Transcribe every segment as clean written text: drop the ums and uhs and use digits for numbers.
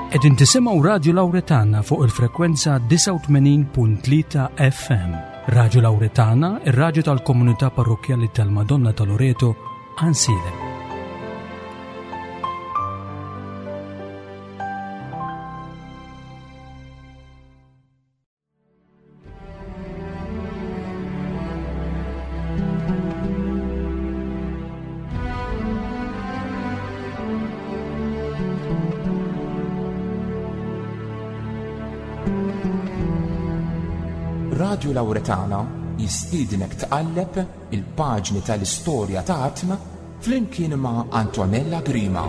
Qegħdin tisimgħu Radju Lawretana fuq il-frekwenza 89.3 FM. Radju Lawretana, ir-radju tal-komunità parrokkjali tal-Madonna ta' Loreto, Ansilem. Radju Lawretana jistiednek tqalleb il-paġni tal-istorja ta' artna flimkien ma' Antonella Grima.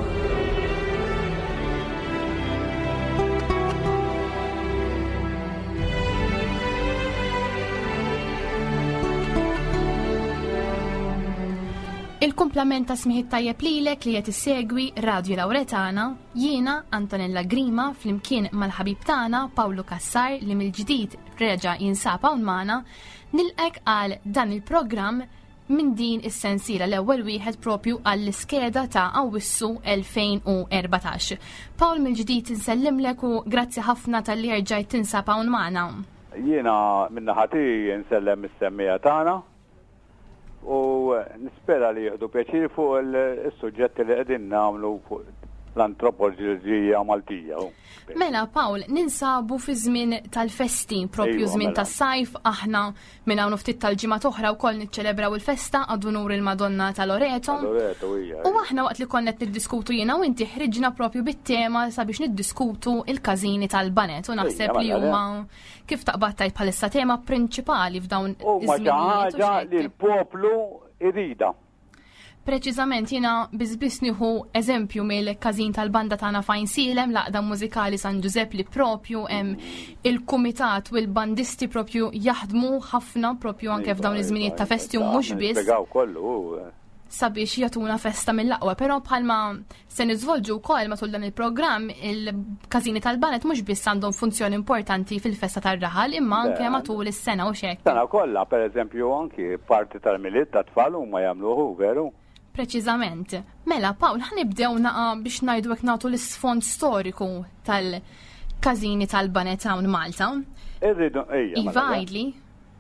Il-kumplament ta' smigħ it-tajjeb lilek li qed issegwi Radju Lawretana, jiena Antonella Grima flimkien mal-ħabib tagħna Pawlu Cassar li mill-ġdid reġa' jinsab hawn magħna, nilqek għal dan il-programm minn din is-sensiela l-ewwel wieħed propju għall-iskeda ta' Awwissu 2014. Pawl mill-ġdid insellimlek u grazzi ħafna talli erġajt tinsab hawn magħna. Jiena min-naħa tiegħi nsellem is-semmiegħa tagħna u nispera li jieħdu pjaċir fuq is-suġġetti li qegħdin nagħmlu fuq l-antropoloġija Maltija. Mela, Pawl, ninsabu fi żmien tal-festi, propju iva, żmien mela. tas-sajf, aħna minn hawn ftit tal-ġimgħat oħra wkoll niċċelebraw il-festa għad unur il-Madonna ta' Loreto. Loreto, hija. U aħna waqt li konna qed niddiskutu jiena u inti ħriġna propju bit-tema sabiex niddiskutu il-każini tal-banet u naħseb li mela, huma kif taqbad tajt bħalissa tema prinċipali f'dawn iż-żminijiet. ħaġa li l-poplu irida. Preċiżament jiena biss biss nieħu eżempju mill-każin tal-banda tagħna fajn Silem, l-Għaqda Mużikali San Ġużepp li propju hemm il-kumitat u l-bandisti propju jaħdmu ħafna propju anke f'dawn iva, iż-żminijiet ta' iva, festi u mhux biss. kollu. Sabiex jagħtuna festa mill-aqwa, però bħalma Se niżvolġu wkoll matul dan il-programm il-każini tal-banet mhux biss għandhom funzjoni importanti fil-festa tar-raħal imma anke matul is-sena u x'hekk. Sena kollha, pereżempju anki parti tal-Milied tat-tfal huma jagħmluh hu, veru? Preċiżament. Mela, Pawl, ħa nibdew naqa' biex ngħidu hekk nagħtu l-isfond storiku tal-każini tal-banet hawn Malta. Irridu, ejja. Iva, mela, għidli.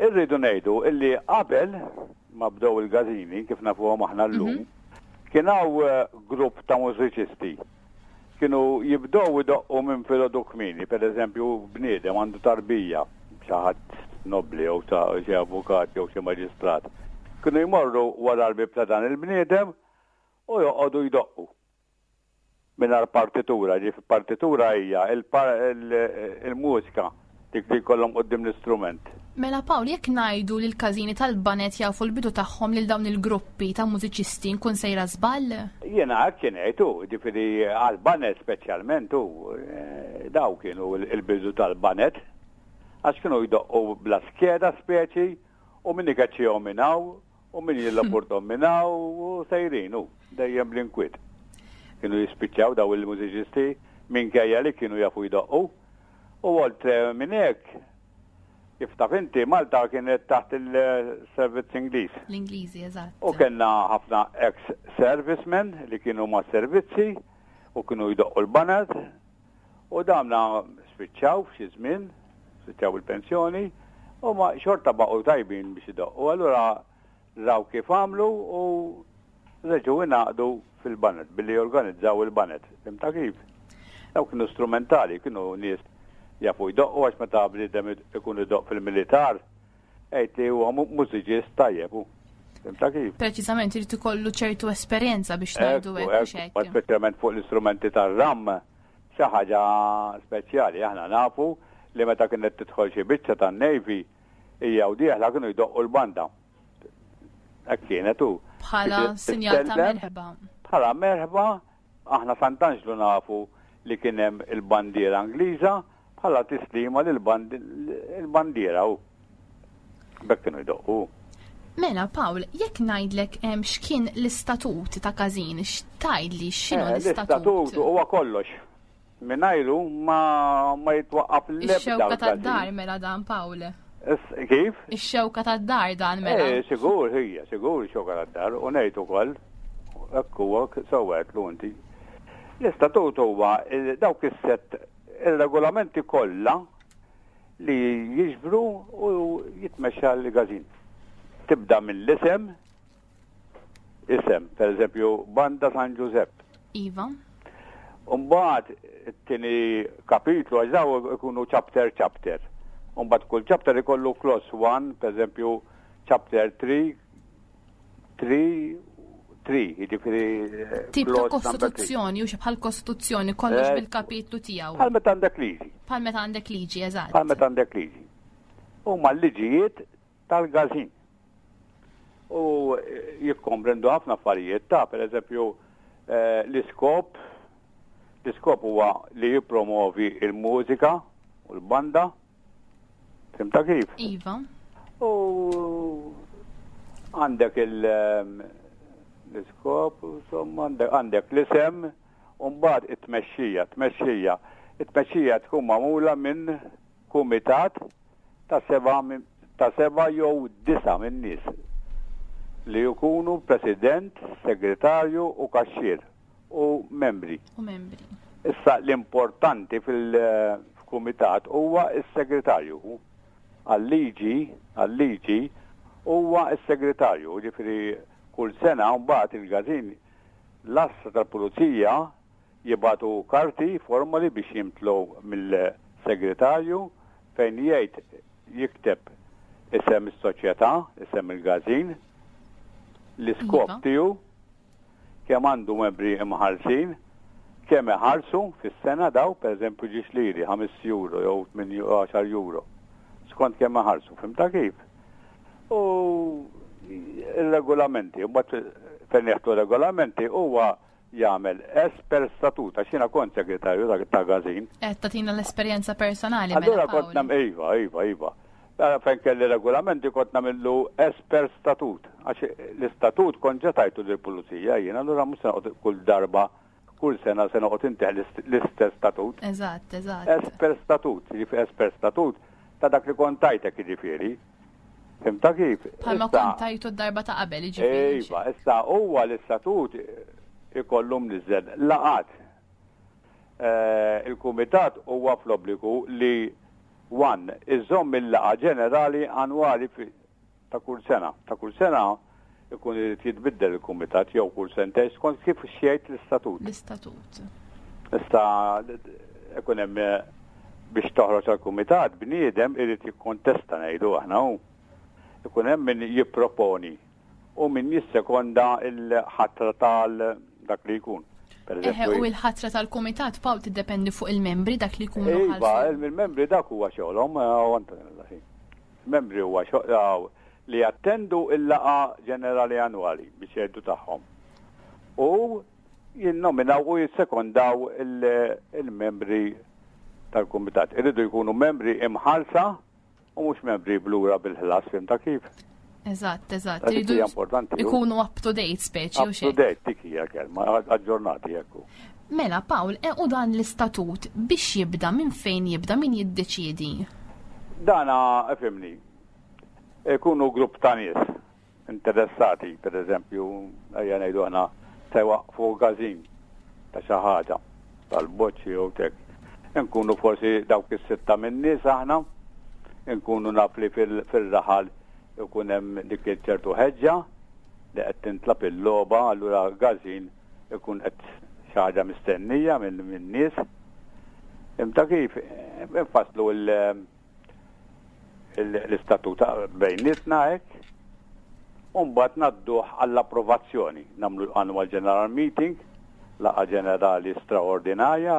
Irridu ngħidu illi qabel ma bdew il-gazini kif nafuhom aħna llum, kien hawn grupp ta' mużiċisti. Kienu jibdew idoqqu minn filgħodu kmieni, pereżempju bniedem għandu tarbija, xi ħadd nobbli jew xi avukat jew xi maġistrat. Kienu jmorru wara l-bieb ta' dan il-bniedem u joqogħdu jdoqqu. mingħajr partitura, ġifieri partitura hija il-mużika dik li jkollhom quddiem l-istrument. Mela Pawl, jekk ngħidu li l-każini tal-baned jafu l-bidu tagħhom lil dawn il-gruppi ta' mużiċisti nkun sejra żball? Jiena hekk kien ngħid hu, ġifieri għall-baned speċjalment hu, daw kienu l-bidu tal-baned għax kienu jdoqqu bla skeda speċi u min ikeċċihom minn hawn U min jillaportom minn hawn u sejrin u dejjem bl-inkwiet. Kienu jispiċċaw daw il-mużiċisti minkejja li kienu jafu jdoqqu. U oltre minn hekk, kif taf inti, Malta kienet taħt il-servizz Ingliż. L-Ingliżi, eżatt. U kellna ħafna ex-servicemen li kienu ma' servizzi u kienu jdoqqu l-banad u damna spiċċaw f'xi żmien, spiċċaw il-pensjoni, u ma xorta baqgħu tajbin biex idoqqu. Allura raw kif għamlu u reġgħu ingħaqdu fil-baned billi jorganizzaw il-baned. Fhimtha kif? Dawk kienu strumentali, kienu nies jafu jdoqqu għax meta bniedem ikun idoqq fil-militar, għid li huwa mużiċist tajjeb hu. Fhimtha kif? Preċiżament irid ikollu ċertu esperjenza biex ngħidu hekk u x'hekk. Speċjalment fuq l-istrumenti tar-ram, xi ħaġa speċjali. Aħna nafu li meta kienet tidħol xi biċċa tan-Navy hija u dieħla kienu jdoqqu l-banda. Hekk kienet hu. Bħala sinjal ta' merħba. Bħala merħba Aħna Sant'Anġlu nafu li kien hemm il-bandiera Ingliża bħala tislima lill-bandiera u b'hekk kienu jdoqqu. Mela Pawl, jekk ngħidlek x'kien l-istatut ta' każin, x'tgħidli x'inhu l-istatut? L-istatut huwa kollox. Mingħajru ma ma jitwaqqaf l-ebda. Ix-xewka tad-dar mela dan Pawl. Kif? Ix-xewka tad-dar dan mela. Eh, sigur, hija, sigur ix-xewka tad-dar, u ngħid ukoll, hekk huwa sewwa għedtlu inti. L-istatut huwa dawk is-sett ir-regolamenti kollha li jiġbru u jitmexxa l-każin. Tibda mill-isem, isem, per eżempju, Banda San Ġużepp. Iva. Umbagħad it-tieni kapitlu għax daw ikunu chapter chapter. Umbagħad kull chapter ikollu clause 1, per eżempju, chapter 3, 3, 3, jiġifieri eh, Tip ta' kostituzzjoni, u bħal kostituzzjoni kollox eh, bil-kapitlu tiegħu. Bħal meta għandek liġi. Bħal meta għandek liġi, eżatt. Bħal meta għandek liġi. Huma l-liġijiet tal-gazin. U jikkomprendu ħafna affarijiet ta' per eżempju eh, l-iskop, l-iskop huwa li jippromovi il-mużika u l-banda, fimta kif? Iva. U għandek ehm, l-iskop, insomma, għandek l-isem, u mbagħad it-tmexxija, tmexxija. It-tmexxija tkun magħmula minn kumitat ta' seba' ta' seba' jew disa' min-nies li jkunu president, segretarju u kaxxier u membri. U membri. Issa l-importanti fil-kumitat huwa s-segretarju. Għal-liġi, għal-liġi huwa s-segretarju, ġifieri kull sena mbagħad il-każin l-għassa tal-pulizija Jibagħtu karti, formoli biex jimtlew mill-segretarju fejn jgħid jikteb isem is-soċjetà, isem il-każin, l-iskop iva. tiegħu, kemm għandu membri imħallsin, kemm iħallsu fis-sena daw, pereżempju ġiex liri, 5 euro jew 8 euro, skont kemm iħallsu, fimta kif? U il-regolamenti, mbagħad fejn jeħtu regolamenti huwa jagħmel as per statut, għax jiena kont segretarju ta' gazin. Qed tagħtina l-esperjenza personali. Mela, Allura kont nam iva, iva, iva. Mela, fejn kelli regolamenti kont nagħmillu as per statut, għax l-istatut kont ġa tajtu lill-pulizija jien, allura mhux se noqgħod kull darba kull sena se noqgħod inteħ l-istess statut. Eżatt, eżatt. As per statut, jiġifieri as per statut ta' dak li kont tajtek jiġifieri. Fimta kif? Bħalma kont tajtu d-darba ta' qabel, jiġifieri. Iva, issa huwa l-istatut ikollu mniżżel laqat. Eh, il-kumitat huwa fl-obbligu li one iżomm il-laqa ġenerali annwali ta' kull sena. Ta' kull sena ikun irid jitbiddel il-kumitat jew kull sentejn skont kif xejt l-istatut. L-istatut. Issa ikun hemm eh, biex toħroġ għall-kumitat bniedem irid jikkontesta ngħidu aħna hu. Ikun hemm min jipproponi u min jissekonda l-ħatra tal dak li jkun. Eħe, u l-ħatra tal-kumitat Pawl tiddependi fuq il-membri dak li jkunu. Iva, il-membri dak huwa xogħolhom, eh, Membri huwa xogħol li jattendu l-laqgħa ġenerali annwali biex jgħidu tagħhom u jinnominaw u jissekondaw il-membri tal-kumitat. Iridu jkunu membri imħallsa u mhux membri blura bil-ħlas, fimta kif? Eżatt, eżatt. Iridu importanti. Ikunu up to date speċi u xejn. Up to date dik hija kelma, aġġornati jekk. Mela Pawl, e u dan l-istatut biex jibda minn fejn jibda min jiddeċiedi? Dana ifhimni, ikunu grupp ta' nies interessati, per eżempju, ejja ngħidu aħna se jwaqqfu każin ta' xi ħaġa tal-boċċi jew tek. Inkunu forsi dawk is-sitta min-nies aħna, inkunu naf li fil-raħal ikun hemm dik ċertu ħeġġa li qed tintlab il-logħba, allura każin ikun qed xi ħaġa mistennija min-nies. Imta kif infasslu l-istatut bejnietna hekk, u mbagħad ngħadduh għall-approvazzjoni. Nagħmlu annual general meeting, laqgħa ġenerali straordinarja,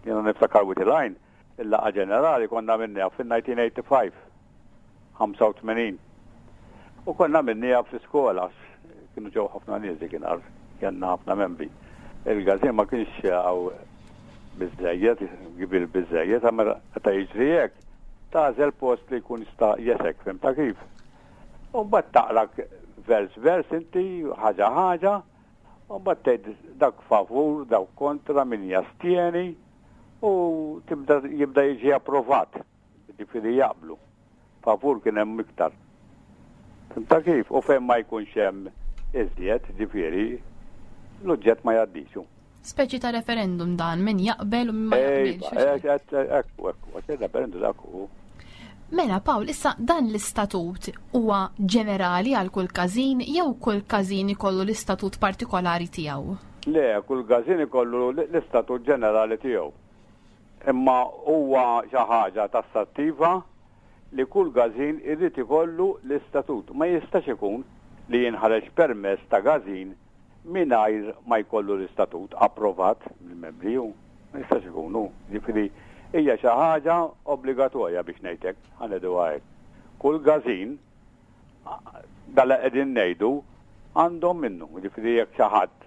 jiena niftakar with line, il-laqgħa ġenerali konna minniha fil-1985, 85. U konna minniha fl-iskola, kienu ġew ħafna nies dik kellna ħafna membri. Il-gazin ma kienx għaw biżejjed, kbir biżejjed, għamma meta jiġri hekk, tagħżel post li jkun jista' jesek, fim ta' kif. U mbagħad taqra vers vers inti ħaġa ħaġa, u mbagħad tgħid dak favur, dawk kontra, min jastieni, u tibda jibda jiġi approvat, ġifieri jaqblu. Favur kien hemm iktar. Ta' kif? U fejn ma jkunx hemm iżjed, ġifieri, l-oġġett ma jgħaddix. Speċi ta' referendum dan min jaqbel u min ma jaqbilx. Ekku, ekku, għax il-referendum dak hu. Mela Pawl, issa dan l-istatut huwa ġenerali għal kull każin jew kull każin ikollu l-istatut partikolari tiegħu? Le, kull każin ikollu l-istatut ġenerali tiegħu. Imma huwa xi ħaġa tassattiva li kull każin irid ikollu l-istatut. Ma jistax ikun li jinħareġ permess ta' każin mingħajr ma jkollu l-istatut approvat mill-membri hu. Ma jistax ikun hu. Jiġifieri hija xi ħaġa obbligatorja biex ngħid hekk, ħa ngħiduha hekk. Kull każin dan li qegħdin ngħidu għandhom minnu. Jiġifieri jekk xi ħadd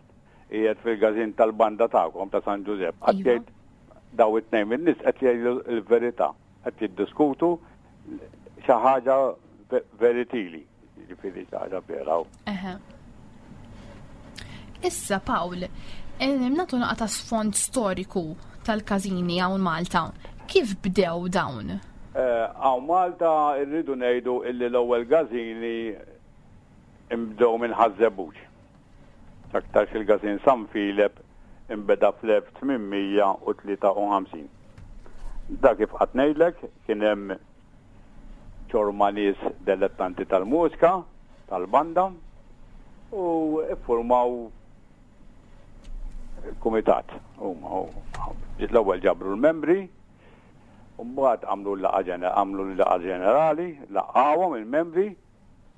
qiegħed fil-każin tal-banda tagħkom ta' San Ġużepp, qed iva. jgħid daw it-tnejn min-nies qed jgħidu l-verità, qed jiddiskutu xi ħaġa veritili. Jiġifieri xi ħaġa vera. Issa Pawl, eh, nagħtu naqa ta' sfond storiku tal-każini hawn Malta. Kif bdew dawn? Eh, hawn Malta rridu ngħidu illi l-ewwel każini imbdew minn Ħaż-Żebbuġ. Aktarx il-Każin San Filep imbeda fl-1853. Dak kif qatt ngħidlek kien hemm ċorma nies delettanti tal-mużika, tal-banda, u iffurmaw kumitat. Huma l-ewwel ġabru l-membri, u mbagħad għamlu l-laqgħa għamlu l-laqgħa ġenerali, laqgħuhom il-membri,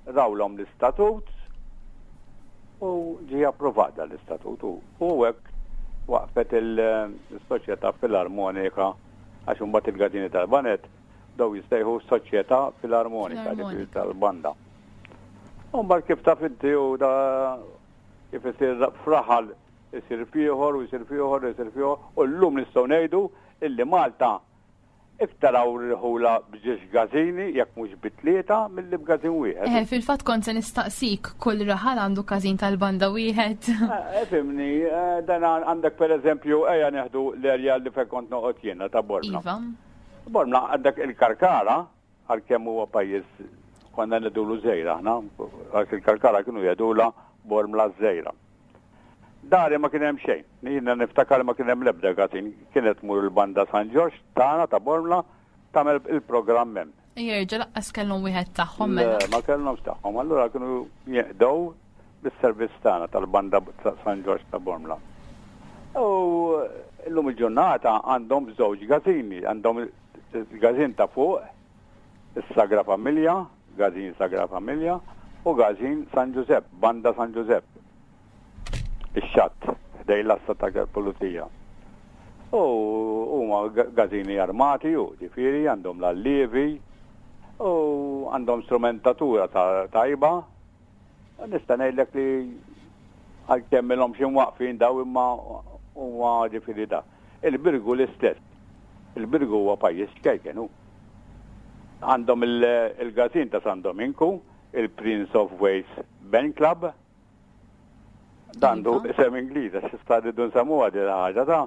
rawlhom l-istatut u ġie approvat dan l-istatut u hekk waqfet il-Soċjetà Filarmonika għax imbagħad il-Gadini tal-Banet daw jistejħu Soċjetà Filarmonika ġifieri tal-banda. U mbagħad kif taf inti u da kif isir fraħal isir fieħor u jsir fieħor u jsir fieħor u llum nistgħu ngħidu illi Malta Iktar hawn irħula b'żewġ każini, jekk mhux bi tlieta, milli b'każin wieħed. Eħe, fil-fatt kont se nistaqsik, kull raħal għandu każin tal-banda wieħed? Ifhimni, dan għandek pereżempju, ejja nieħdu l-erja li fejn kont noqgħod jiena ta' Bormla. Iva. Bormla għandek il-Karkara, għalkemm huwa pajjiż konna ngħidulu żgħir aħna, għax il-Karkara kienu jgħidulha Bormla ż-żgħira. Dari ma kien hemm xejn. Jiena niftakar ma kien hemm l-ebda każin. Kienet tmur il-banda San Ġorġ tagħna ta' Bormla tagħmel il-programm hemm. Jerġa' laqqas kellhom wieħed tagħhom mela. Ma kellhomx tagħhom, allura kienu jeqdew bis-servizz tagħna tal-banda San Ġorġ ta' Bormla. U llum il-ġurnata għandhom żewġ gazini, għandhom il-gazin ta' fuq, is-Sagra Familja, Gazin Sagra Familja, u Gazin San Ġużepp, Banda San Ġużepp. Ix-xatt, ħdej l-għassa ta' pulizija. U huma gazini armati u ġifieri għandhom l-allievi u għandhom strumentatura tajba. Nista' ngħidlek li għalkemm ilhom xi mwaqfin daw imma huma ġifieri da. Il-Birgu l-istess. Il-Birgu huwa pajjiż ċkejken hu. Għandhom il-gazin ta' San Dominku, il-Prince of Wales Band Club, Dandu iva. isem Ingliż, għax issa rridu nsemmuha din ħaġa ta'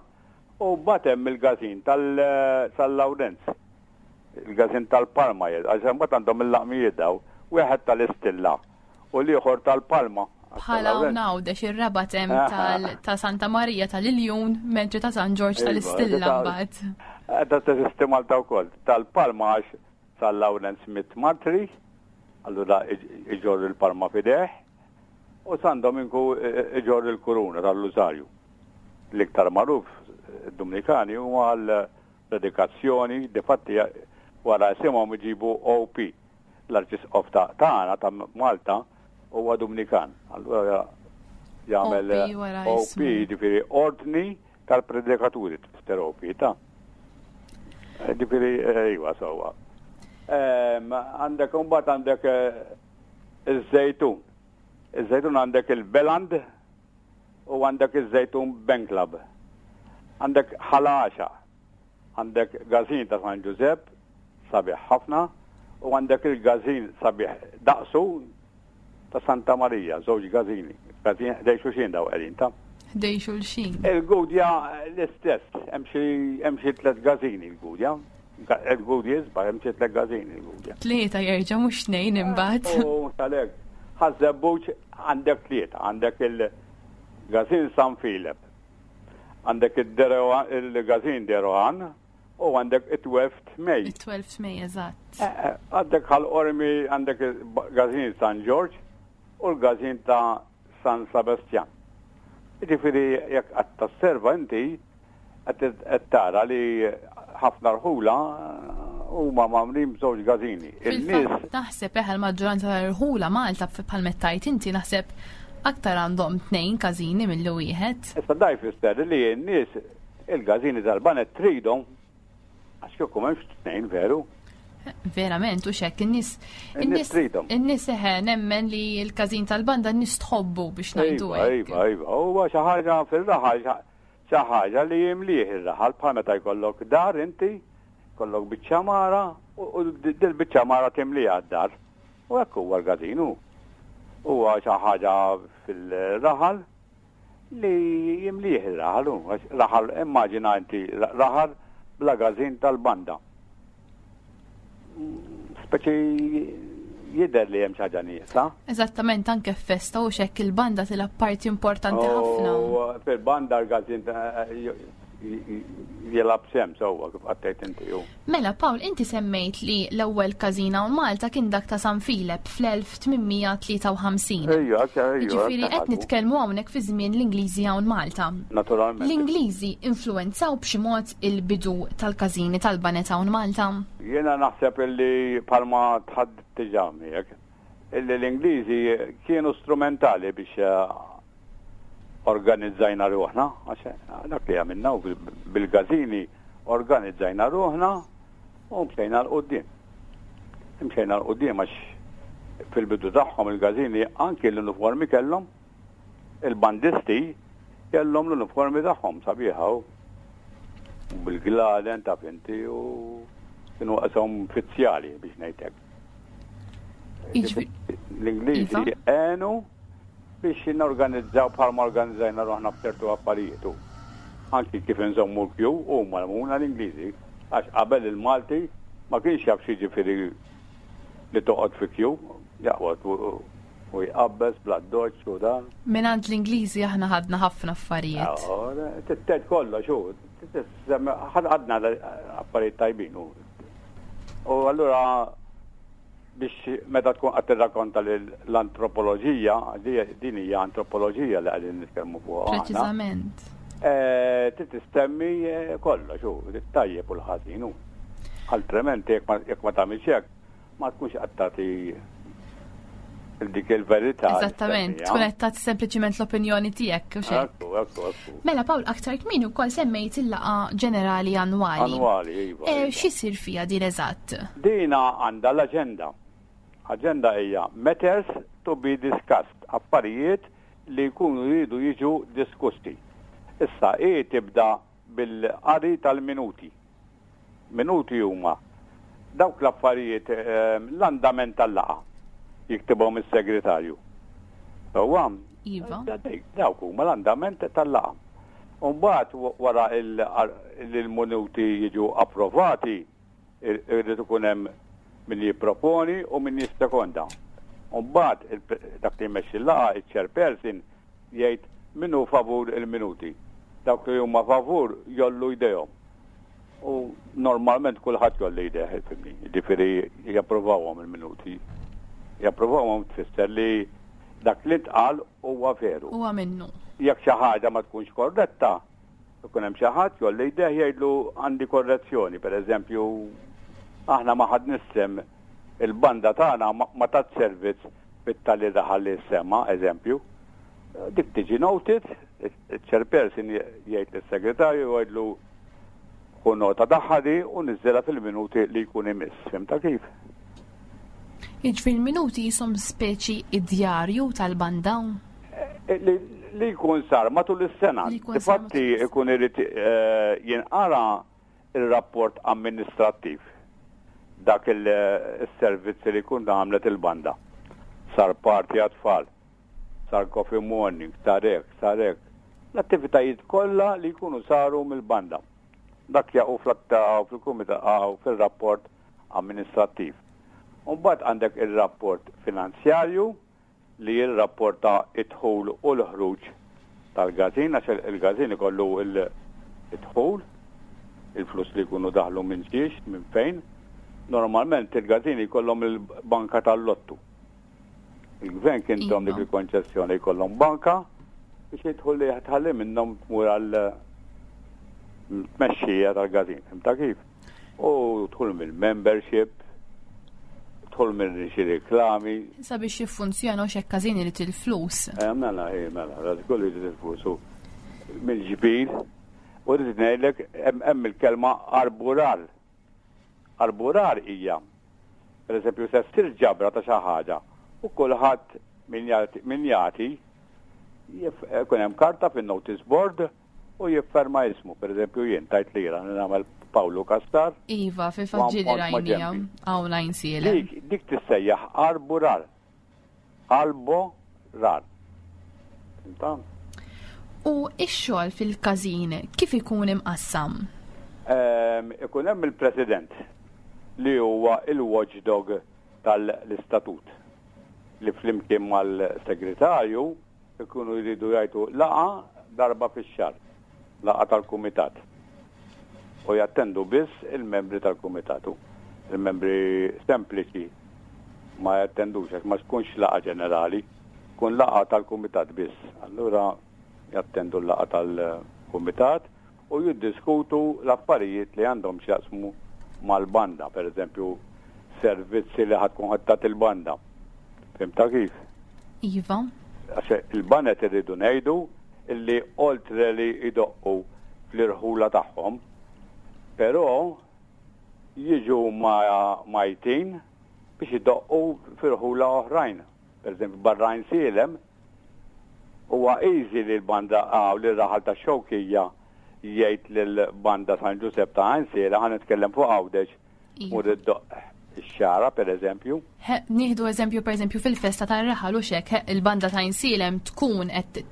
u mbagħad hemm il-gazin tal-San Lawrenz, il-gazin tal-Palma, għax imbagħad għandhom il-laqmijiet daw, wieħed tal-Istilla u l-ieħor tal-Palma. Bħala hawn Għawdex ir-rabat hemm ta' Santa Marija tal-Iljun, mentri ta' San Ġorġ iva, tal-Istilla mbagħad. Eh, da teżisti Malta wkoll. Tal-Palma għax San Lawrenz mit Martri, allura iġorr il-palma fideh, U San Dominku iġorr il-kuruna tal-Lużarju. L-iktar magħruf id-Dumnikani huma għal predikazzjoni, difatti wara isimhom iġibu OP. L-Arċisqof ta' tagħna ta' Malta huwa Dumnikan. Allura jagħmel OP jiġifieri Ordni tal-Predikaturi tfisser OP ta'. Ġifieri iva sewwa. Għandek imbagħad għandek Iż-żejtun. Iż-żejtun għandek il-Beland u għandek iż-żejtun Bank Club. Għandek Ħal Għaxaq. Għandek Gazin ta' San Ġużepp, sabiħ ħafna, u għandek il-gazin sabiħ daqsu ta' Santa Marija, żewġ gazini. Gazin ħdej xulxin daw qegħdin ta' Ħdej xulxin. Il-Gudja l-istess, hemm xi tliet gazini l-Gudja. Il-Gudja jisbaħ, hemm xi tliet gazini l-Gudja. Tlieta jerġa' mhux tnejn imbagħad. U għalhekk, Ħaż-Żebbuġ għandek tlieta, għandek il-Gazin San Filep. Għandek il-gazin Derohan u għandek it-12th May. It-12th May, eżatt. Eh, eh, għandek Ħal Qormi għandek il-gazin San George u l-gazin ta' San Sebastian. Jiġifieri jekk qed tasserva inti qed tara li ħafna rħula huma magħmlin b'żewġ gażini. Il-nies naħseb eħe l-maġġoranza tal-irħula Malta bħal mettajt inti naħseb aktar għandhom tnejn każini milli wieħed. Issa da jfisser li n-nies il-gażini tal-banet tridhom Għax kieku m'hemmx tnejn veru. Verament, u xek, in-nies. In-nies tridhom. In-nies eħe nemmen li l-każin tal-banda n-nies tħobbu biex ngħidu hekk. Iva, iva, huwa xi ħaġa fir-raħal xi ħaġa li jimlih ir-raħal bħal meta jkollok dar inti, kollok biċċa mara u dil-biċċa mara timliha d-dar. U hekk huwa l-każin hu. Huwa xi ħaġa fil-raħal Li jimlieh ir-raħal hu, għax raħal, immaġina inti raħal bla każin tal-banda. Speċi jidher li hemm xi ħaġa nieqsa. Eżattament anke f'festa u xekk il-banda tilgħab parti importanti ħafna. Fil-banda l-każin jilgħab sehem sewwa kif qattejt inti hu. Mela Pawl, inti semmejt li l-ewwel każin hawn Malta kien dak ta' San Filep fl-1853. Ejja, ejja. Jiġifieri qed nitkellmu hawnhekk fi żmien l-Ingliżi hawn Malta. Naturalment. L-Ingliżi influwenzaw b'xi mod il-bidu tal-każini tal-banet hawn Malta? Jiena naħseb illi bħalma tħaddidt diġà miegħek, illi l-Ingliżi kienu strumentali biex organizzajna ruħna, għax dak li għamilna u bil-gazini organizzajna ruħna u mxejna l-qoddim. Mxejna l-qoddim għax fil-bidu tagħhom il-gazini anki l-uniformi kellhom, il-bandisti kellhom l-uniformi tagħhom sabiħa u bil-gladen ta' finti u kienu qashom fizzjali biex ngħidlek. L-Ingliżi iva. għenu biex norganizzaw bħalma organizzajna ruħna f'ċertu affarijiet u anki kif inżommu l-kju huma għallmuna l-Ingliżi għax qabel il-Malti ma kienx jaf x'jiġifieri li toqgħod fi kju, jaqgħod u jqabbeż bl-addoċċ u dan. Mingħand l-Ingliżi aħna ħadna ħafna affarijiet. Titted kollox hu, ħadna affarijiet tajbin hu. U allura biex meta tkun qed tirrakkonta l-antropoloġija, din hija antropoloġija li qegħdin nitkellmu fuqha. Preċiżament. Eh, trid tistemmi eh, kollox hu, tajjeb u l-ħażin hu. Altrimenti jekk ma tagħmilx hekk, ma tkunx qed tagħti dik il-verità. Eżattament, tkun qed tagħti sempliċiment l-opinjoni tiegħek u xejn. Mela Pawl aktar kmieni wkoll semmejt il-laqgħa ġenerali annwali. Annwali, iva. Eh, iva. X'isir fiha din eżatt? Dina għandha l-aġenda. Aġenda hija matters to be discussed, affarijiet li jkunu jridu jiġu diskussi. Issa hi tibda bil-qari tal-minuti. Minuti huma dawk l-affarijiet l-andament tal-laqgħa jiktibhom is-segretarju. Sewwa? Iva. Dawk huma l-andament tal-laqgħa. U mbagħad wara li l-minuti jiġu approvati, irid ikun hemm min jipproponi u min jissekonda. U mbagħad dak li jmexxi l-laqgħa, iċ-chairperson, Jgħid, Min hu favur il-minuti? Dawk li huma favur jgħollu jdejhom. U normalment kulħadd jgħolli jdejh, ifhimni. Jiġifieri japprovawhom il-minuti. Japprovawhom tfisser li dak li ntqal huwa veru. Huwa minnu. Jekk xi ħaġa ma tkunx korretta, ikun hemm xi ħadd jgħolli jdejh jgħidlu għandi korrezzjoni, pereżempju aħna ma ħadniex sehem il-banda tagħna ma tat servizz fit-tali raħal li ssemma, eżempju, dik tiġi noted, il-chairperson jgħid lis-segretarju jgħidlu ħu nota tagħha di u niżżilha fil-minuti li jkun imiss. Fimta kif? Jiġifieri l-minuti jisom speċi id-djarju tal-banda? Eh, li jkun sar matul is-sena. Infatti ikun irid eh, jinqara ir-rapport amministrattiv, dak is-servizzi li jkun għamlet il-banda. Sar party għat-tfal, sar coffee morning, sar hekk, sar hekk. L-attivitajiet kollha li jkunu saru mill-banda. Dak jaqgħu fil-kumitat fir-rapport amministrattiv. U mbagħad għandek ir-rapport finanzjarju li jirrapporta d-dħul u l-ħruġ. tal-gazin għax il-gazin ikollu il-dħul, il-flus li jkunu daħlu minn xiex, minn fejn. Normalment il-gazin jkollhom il-banka tal-lottu. Il-gvern kien tom dik iva. il-konċessjoni jkollhom banka biex jidħol li tħalli minnhom tmur għal tmexxija tal-gazin. Fimta kif? U tħul mill-membership, tħul minn xi reklami. Sabiex jiffunzjona u xekk każin irid il-flus. Eh, mela, eh, mela, ras kollu jrid il-flus. U mill-ġbir, u rrid ngħidlek hemm il-kelma arburar. Arburar hija, per eżempju, se ssir ġabra ta' xi ħaġa u kulħadd min jagħti jkun hemm karta fin-notice board u jifferma ismu, per eżempju jien tajt lira li nagħmel Pawlu Kastar. Iva, fil-fatt ġieli rajnija hawn għajnsielem. Dik, dik tissejjaħ arburar. Albo rar. Inta? U x-xogħol fil-każin kif ikun imqassam? Ehm, ikun hemm il-president li huwa il-watchdog tal-istatut li flimkien mal-segretarju ikunu jridu jgħidu laqgħa darba fix-xahar, laqgħa tal-kumitat. U jattendu biss il-membri tal-kumitat. Il-membri sempliċi ma jattendux għax ma tkunx laqgħa ġenerali, tkun laqgħa tal-kumitat biss. Allura jattendu l-laqgħa tal-kumitat u jiddiskutu l-affarijiet li għandhom x'jaqsmu mal-banda, per eżempju, servizzi li ħa tkun ħa tagħti il-banda. Fhimtha kif? Iva. Għax il-banet irridu ngħidu illi oltre li jdoqqu fl-irħula tagħhom, però jiġu majtin biex idoqqu f'irħula oħrajn. Per eżempju, barra Għajnsielem, Huwa easy li l-banda li r-raħal tax-Xewkija jgħid lill-banda San Ġusepp ta' Għajnsiela, ħa nitkellem fuq Għawdex, iva. mur iddoqq ix-xagħra pereżempju. Nieħdu eżempju pereżempju fil-festa tar-raħal u xek, il-banda ta' Għajnsielem tkun qed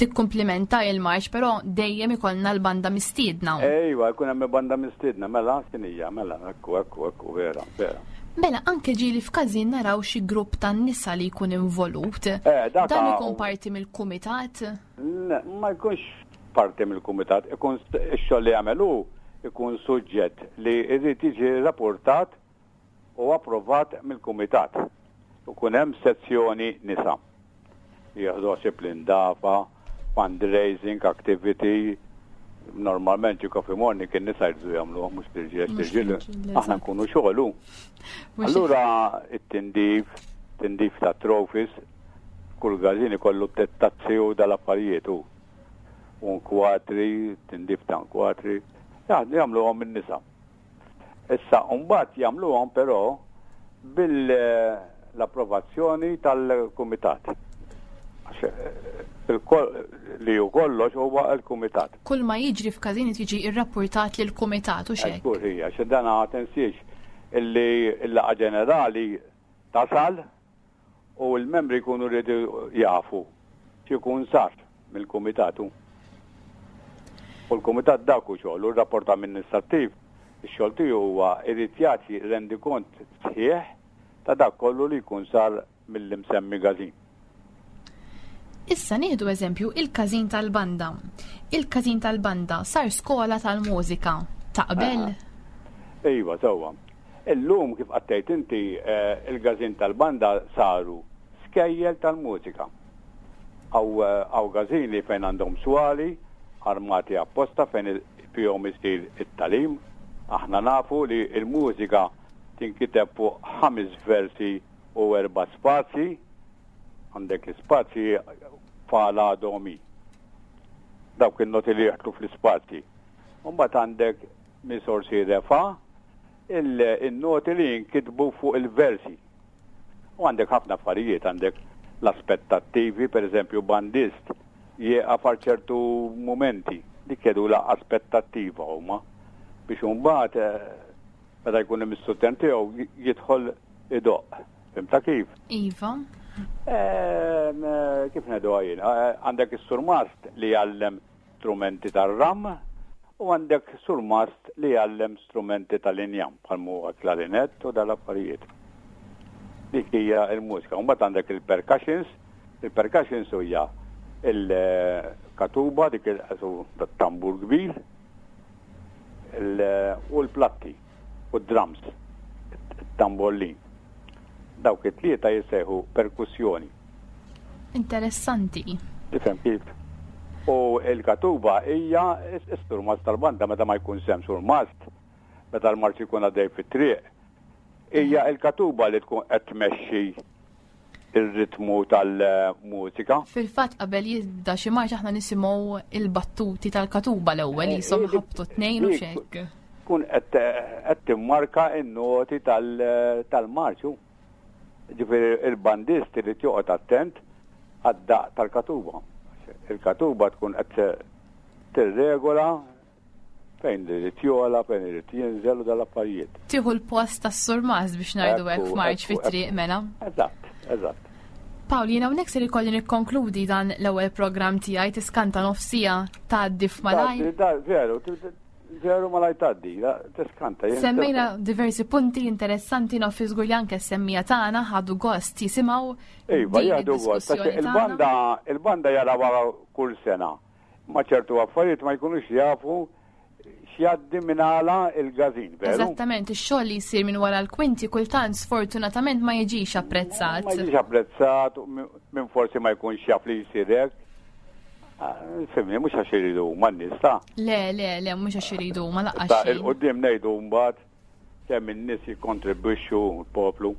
tikkumplimenta il-marċ, però dejjem ikollna l-banda mistiedna. Ejwa, jkun hemm banda mistiedna, mela x'inhija, mela, ekku, ekku, ekku, vera, vera. Mela anke ġieli f'każin naraw xi grupp tan-nisa li jkun involut. Eh, Dan ikun parti mill-kumitat? Ma jkunx parti mill-kumitat, ikun ix-xogħol li jagħmel hu ikun suġġett li jrid jiġi rapportat u approvat mill-kumitat. Ikun hemm sezzjoni nisa. Jieħdu ħsieb l-indafa, fundraising activity, normalment xi coffee morning kien nisa jridu jagħmluha mhux l-irġiel, l-irġiel aħna nkunu xogħlu. Allura it-tindif, tindif ta' trophies, kull gazin ikollu tazzi u dal-affarijiet u nkwatri, tindif ta' nkwatri, jagħmluhom in-nisa. Issa mbagħad jagħmluhom però bil-approvazzjoni tal-kumitat. Li hu kollox huwa l-kumitat. Kull ma jiġri f'każin jiġi rrappurtat lill-kumitat u x'hekk. Żgur hija, xi dan tinsiex illi l-laqgħa ġenerali tasal u l-membri jkunu rridu jafu x'ikun sar mill-kumitat hu. U l-kumitat dak hu xogħlu, r-rapport amministrattiv ix-xogħol tiegħu huwa jrid jagħti rendikont sħiħ ta' dak kollu li jkun sar mill-imsemmi każin. Issa nieħdu eżempju il-każin tal-banda. Il-każin tal-banda sar skola tal-mużika. Taqbel? Iva, sewwa. Illum kif qattejt inti eh, il-gazin tal-banda saru skejjel tal-mużika. Hawn gazini fejn għandhom swali armati apposta fejn fihom isir it-talim. Aħna nafu li l-mużika tinkiteb fuq ħames versi u erba' spazji. Għandek l-ispazji fa la do mi. Dawk in-noti li jieħdu fl-ispazji. Mbagħad għandek mi sol si re fa il-noti li jinkitbu fuq il-versi. U għandek ħafna affarijiet, għandek l-aspettattivi, per eżempju bandist jieqaf għal ċertu mumenti, dik jgħidulha aspettattiva huma biex imbagħad eh, meta jkun imissu t tiegħu jidħol idoqq. Fimta kif? Iva. Ehm, eh, kif ngħidu jien? Eh, għandek is-surmast li jgħallem strumenti tar-ram u għandek surmast li jgħallem strumenti tal-injam bħal huwa klarinett u dal-affarijiet. Dik hija l-mużika. Mbagħad għandek il-percussions, il-percussions hija Il-katuba dik il-tambur kbir u l-platti u d-drums, it-tambollin. Dawk it-tlieta jissejħu perkussjoni. Interessanti. Tifhem kif? U l-katuba hija s-surmast tal-banda meta ma jkunx hemm surmast, meta l-marċ ikun għaddej fit-triq, hija l-katuba li tkun qed tmexxi ir-ritmu tal-mużika. Fil-fatt qabel jibda xi marċ aħna nisimgħu il-battuti tal-katuba l-ewwel eh, jisom eh, ħabtu tnejn u xekk. Tkun qed timmarka n-noti tal-marċu. Ġifieri il-bandist irid joqgħod attent għad-daq tal-katuba. Il-katuba tkun qed tirregola fejn irid jogħla, fejn irid jinżel u dal-affarijiet. Tieħu l-post tas-surmast biex ngħidu hekk f'marċ fit-triq mela. Eżatt, eżatt. Pawl, jiena hawnhekk ser ikolli nikkonkludi dan l-ewwel programm tiegħi tiskanta nofsija tgħaddi f'malajr. Veru, veru malaj tgħaddi, tiskanta. Semmejna diversi punti interessanti naf żgur li anke semmija tagħna ħadu gost jisimgħu. Iva, jieħdu gost. Il-banda, il-banda jarawha kull sena. Ma ċertu affarijiet ma jkunux jafu x'jgħaddi minn għala il-gazin, veru? Eżattament, ix-xogħol li jsir minn wara l-kwinti kultant sfortunatament ma jiġix apprezzat. Ma jiġix apprezzat, minn forsi ma jkunx jaf li jsir hekk. Ah, fimni, mhux għax iridu huma n-nies ta'. Le, le, le, mhux għax iridu huma laqqas. Ta' il-qudiem ngħidu mbagħad Kemm in-nies jikkontribwixxu l-poplu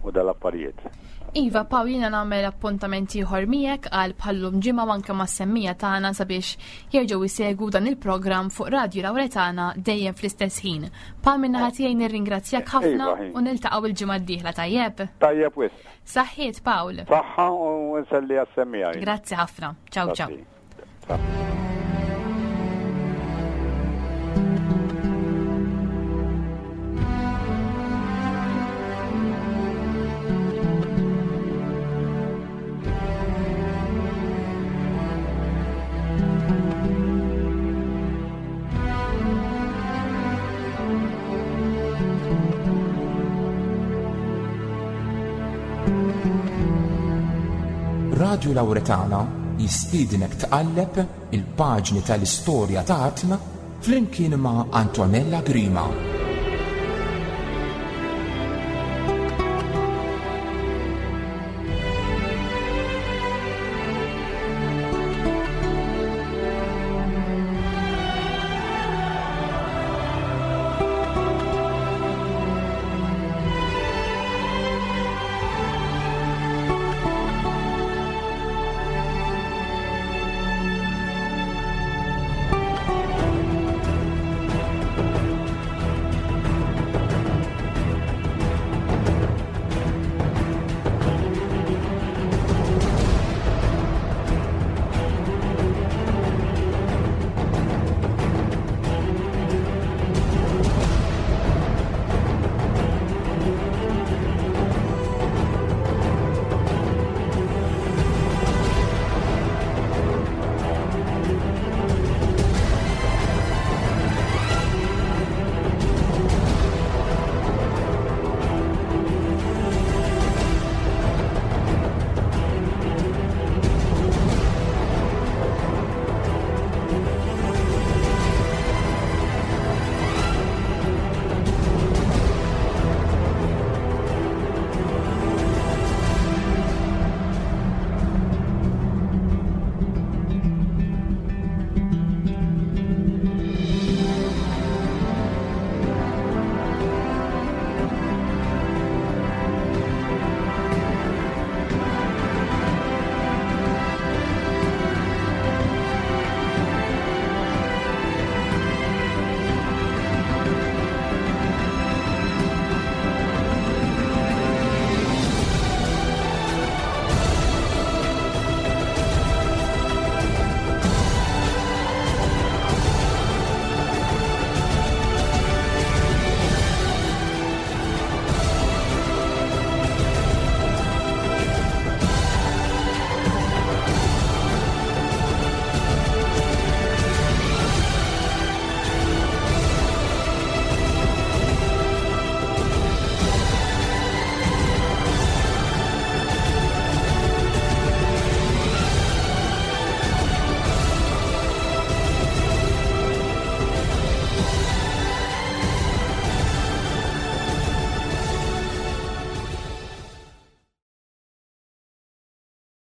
u dal-affarijiet. Iva, Paw, jiena nagħmel appuntament ieħor miegħek għal bħallum ġimgħa u anke mas-semmija tagħna sabiex jerġgħu jsegwu dan il-programm fuq Radju Lawretana dejjem fl-istess ħin. Paw min-naħa tiegħi nirringrazzjak ħafna Iva, u niltaqgħu il-ġimgħa d-dieħla tajjeb. Tajjeb wisq. Saħħiet, Pawl. Saħħa u nselli għas-semmija. Grazzi ħafna. Ciao, ciao. Radju Lawretana jistiednek tqalleb il-paġni tal-istorja ta' artna flimkien ma' Antonella Grima.